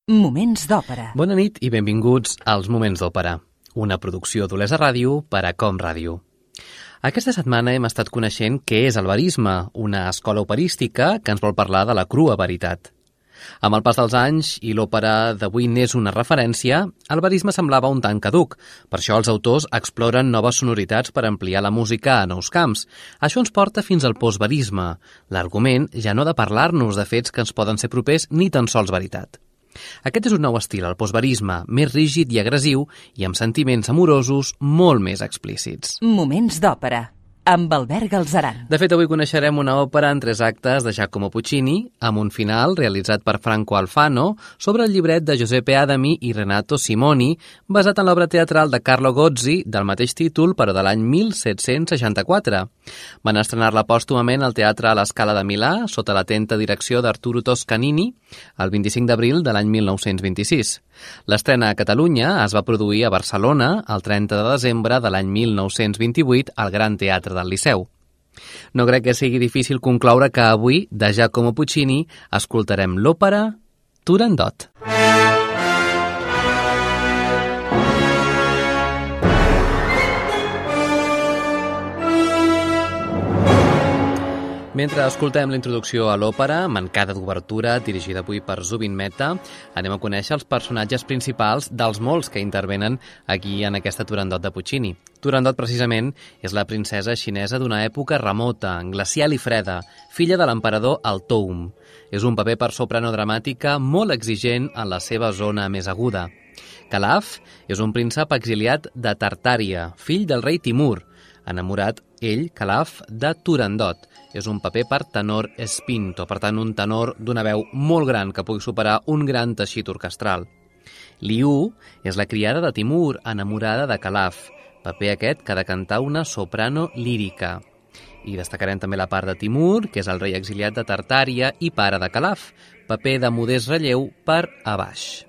Moments d'òpera. Bona nit i benvinguts als Moments d'òpera, una producció d'Olesa Ràdio per a Com Ràdio. Aquesta setmana hem estat coneixent què és el verisme, una escola operística que ens vol parlar de la crua veritat. Amb el pas dels anys i l'òpera d'avui n'és una referència, el verisme semblava un tant caduc. Per això els autors exploren noves sonoritats per ampliar la música a nous camps. Això ens porta fins al postverisme. L'argument ja no ha de parlar-nos de fets que ens poden ser propers ni tan sols veritat. Aquest és un nou estil, el postverisme, més rígid i agressiu i amb sentiments amorosos molt més explícits. Moments d'òpera, amb Albert Galzeran. De fet, avui coneixerem una òpera en 3 actes de Giacomo Puccini, amb un final realitzat per Franco Alfano sobre el llibret de Giuseppe Adami i Renato Simoni, basat en l'obra teatral de Carlo Gozzi del mateix títol, però de l'any 1764. Van estrenar-la pòstumament al Teatre a la Scala de Milà, sota l'atenta direcció d'Arturo Toscanini, el 25 d'abril de l'any 1926. L'estrena a Catalunya es va produir a Barcelona el 30 de desembre de l'any 1928 al Gran Teatre del Liceu. No crec que sigui difícil concloure que avui, de Giacomo Puccini, escoltarem l'òpera Turandot. Mentre escoltem la introducció a l'òpera, mancada d'obertura, dirigida avui per Zubin Mehta, anem a conèixer els personatges principals dels molts que intervenen aquí en aquesta Turandot de Puccini. Turandot, precisament, és la princesa xinesa d'una època remota, glacial i freda, filla de l'emperador Altoum. És un paper per soprano dramàtica molt exigent en la seva zona més aguda. Calaf és un príncep exiliat de Tartària, fill del rei Timur, enamorat ell, Calaf, de Turandot. És un paper per tenor spinto, per tant un tenor d'una veu molt gran que pugui superar un gran teixit orquestral. Liu és la criada de Timur, enamorada de Calaf, paper aquest que ha de cantar una soprano lírica. I destacarem també la part de Timur, que és el rei exiliat de Tartària i pare de Calaf, paper de modest relleu per a baix.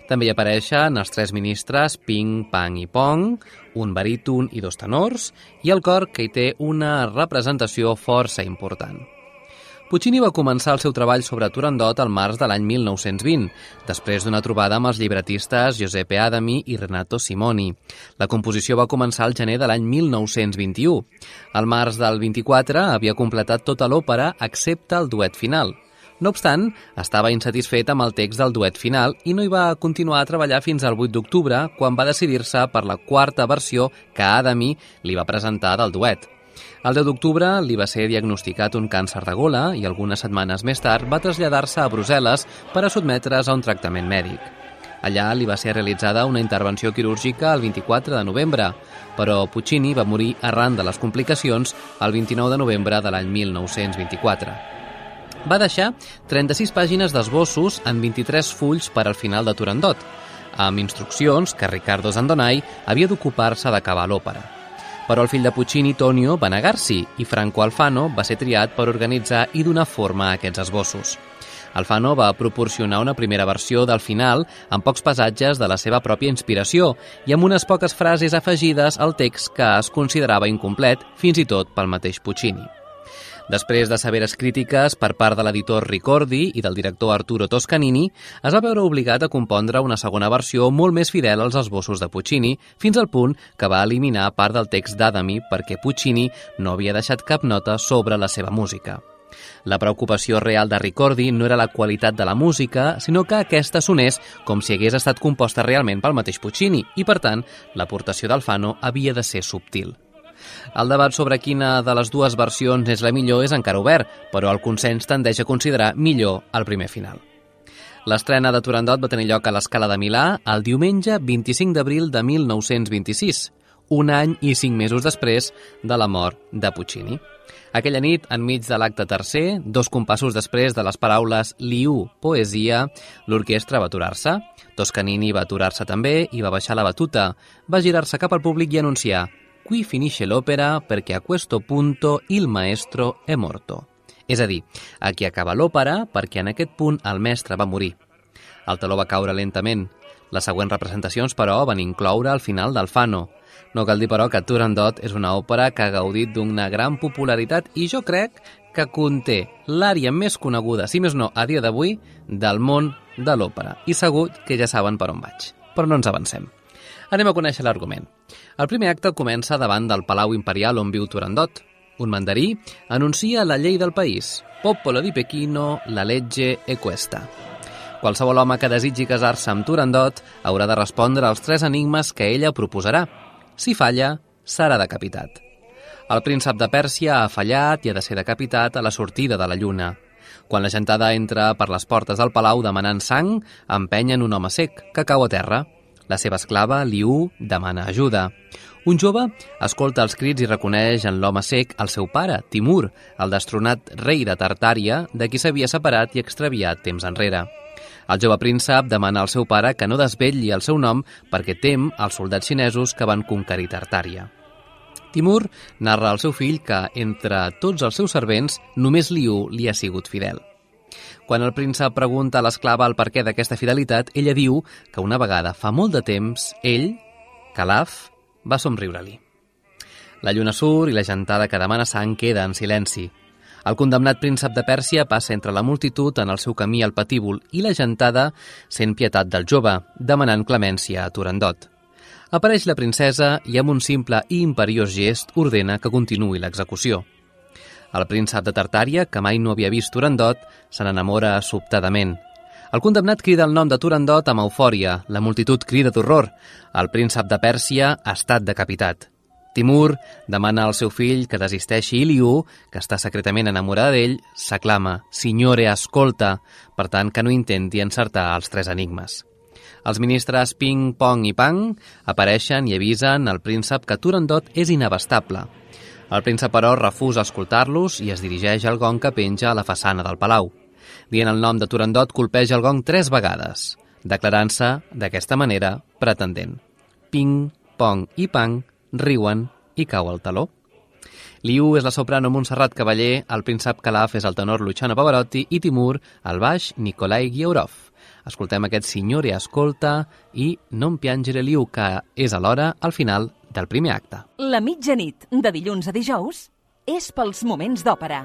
També hi apareixen els 3 ministres Ping, Pang i Pong, un baríton i 2 tenors, i el cor, que hi té una representació força important. Puccini va començar el seu treball sobre Turandot al març de l'any 1920, després d'una trobada amb els llibretistes Giuseppe Adami i Renato Simoni. La composició va començar al gener de l'any 1921. Al març del 24 havia completat tota l'òpera excepte el duet final. No obstant, estava insatisfet amb el text del duet final i no hi va continuar a treballar fins al 8 d'octubre, quan va decidir-se per la 4ª versió que Adami li va presentar del duet. El 10 d'octubre li va ser diagnosticat un càncer de gola i algunes setmanes més tard va traslladar-se a Brussel·les per a sotmetre's a un tractament mèdic. Allà li va ser realitzada una intervenció quirúrgica el 24 de novembre, però Puccini va morir arran de les complicacions el 29 de novembre de l'any 1924. Va deixar 36 pàgines d'esbossos en 23 fulls per al final de Turandot, amb instruccions que Riccardo Zandonai havia d'ocupar-se d'acabar l'òpera. Però el fill de Puccini, Tonio, va negar-s'hi i Franco Alfano va ser triat per organitzar i donar forma a aquests esbossos. Alfano va proporcionar una primera versió del final amb pocs passatges de la seva pròpia inspiració i amb unes poques frases afegides al text que es considerava incomplet, fins i tot pel mateix Puccini. Després de severes crítiques per part de l'editor Ricordi i del director Arturo Toscanini, es va veure obligat a compondre una segona versió molt més fidel als esbossos de Puccini, fins al punt que va eliminar part del text d'Adami perquè Puccini no havia deixat cap nota sobre la seva música. La preocupació real de Ricordi no era la qualitat de la música, sinó que aquesta sonés com si hagués estat composta realment pel mateix Puccini i, per tant, l'aportació d'Alfano havia de ser subtil. El debat sobre quina de les dues versions és la millor és encara obert, però el consens tendeix a considerar millor el primer final. L'estrena de Turandot va tenir lloc a l'Escala de Milà el diumenge 25 d'abril de 1926, un any i 5 mesos després de la mort de Puccini. Aquella nit, enmig de l'acte tercer, 2 compassos després de les paraules Liu, poesia, l'orquestra va aturar-se. Toscanini va aturar-se també i va baixar la batuta. Va girar-se cap al públic i anunciar: «Qui finisce l'òpera perché a questo punto il maestro è morto». És a dir, aquí acaba l'òpera perquè en aquest punt el mestre va morir. El teló va caure lentament. Les següents representacions, però, van incloure el final d'Alfano. No cal dir, però, que Turandot és una òpera que ha gaudit d'una gran popularitat i jo crec que conté l'ària més coneguda, si més no, a dia d'avui, del món de l'òpera. I segur que ja saben per on vaig, però no ens avancem. Anem a conèixer l'argument. El primer acte comença davant del Palau Imperial on viu Turandot. Un mandarí anuncia la llei del país. Popolo di Pechino, la legge è questa. Qualsevol home que desitgi casar-se amb Turandot haurà de respondre als 3 enigmes que ella proposarà. Si falla, serà decapitat. El príncep de Pèrsia ha fallat i ha de ser decapitat a la sortida de la lluna. Quan la gentada entra per les portes del palau demanant sang, empenyen un home sec, que cau a terra. La seva esclava, Liu, demana ajuda. Un jove escolta els crits i reconeix en l'home sec el seu pare, Timur, el destronat rei de Tartària, de qui s'havia separat i extraviat temps enrere. El jove príncep demana al seu pare que no desvetlli el seu nom perquè tem els soldats xinesos que van conquerir Tartària. Timur narra al seu fill que, entre tots els seus servents, només Liu li ha sigut fidel. Quan el príncep pregunta a l'esclava el perquè d'aquesta fidelitat, ella diu que una vegada, fa molt de temps, ell, Calaf, va somriure-li. La lluna surt i la gentada que demana sang queda en silenci. El condemnat príncep de Pèrsia passa entre la multitud en el seu camí al patíbul i la gentada sent pietat del jove, demanant clemència a Turandot. Apareix la princesa i amb un simple i imperiós gest ordena que continuï l'execució. El príncep de Tartària, que mai no havia vist Turandot, se n'enamora sobtadament. El condemnat crida el nom de Turandot amb eufòria, la multitud crida d'horror. El príncep de Pèrsia ha estat decapitat. Timur demana al seu fill que desisteixi i Liu, que està secretament enamorada d'ell, s'aclama «Signore, ascolta», per tant que no intenti encertar els 3 enigmes. Els ministres Ping, Pong i Pang apareixen i avisen al príncep que Turandot és inabastable. El príncep, però, refusa escoltar-los i es dirigeix al gong que penja a la façana del palau. Dient el nom de Turandot, colpeja el gong 3 vegades, declarant-se, d'aquesta manera, pretendent. Ping, Pong i Pang riuen i cau el taló. Liu és la soprano Montserrat Cavaller, el príncep Calaf és el tenor Luciano Pavarotti i Timur, el baix Nikolai Giaurov. Escoltem aquest Signore Ascolta i Non piangere Liu, que és alhora al final del primer acte. La mitjanit, de dilluns a dijous, és pels moments d'òpera.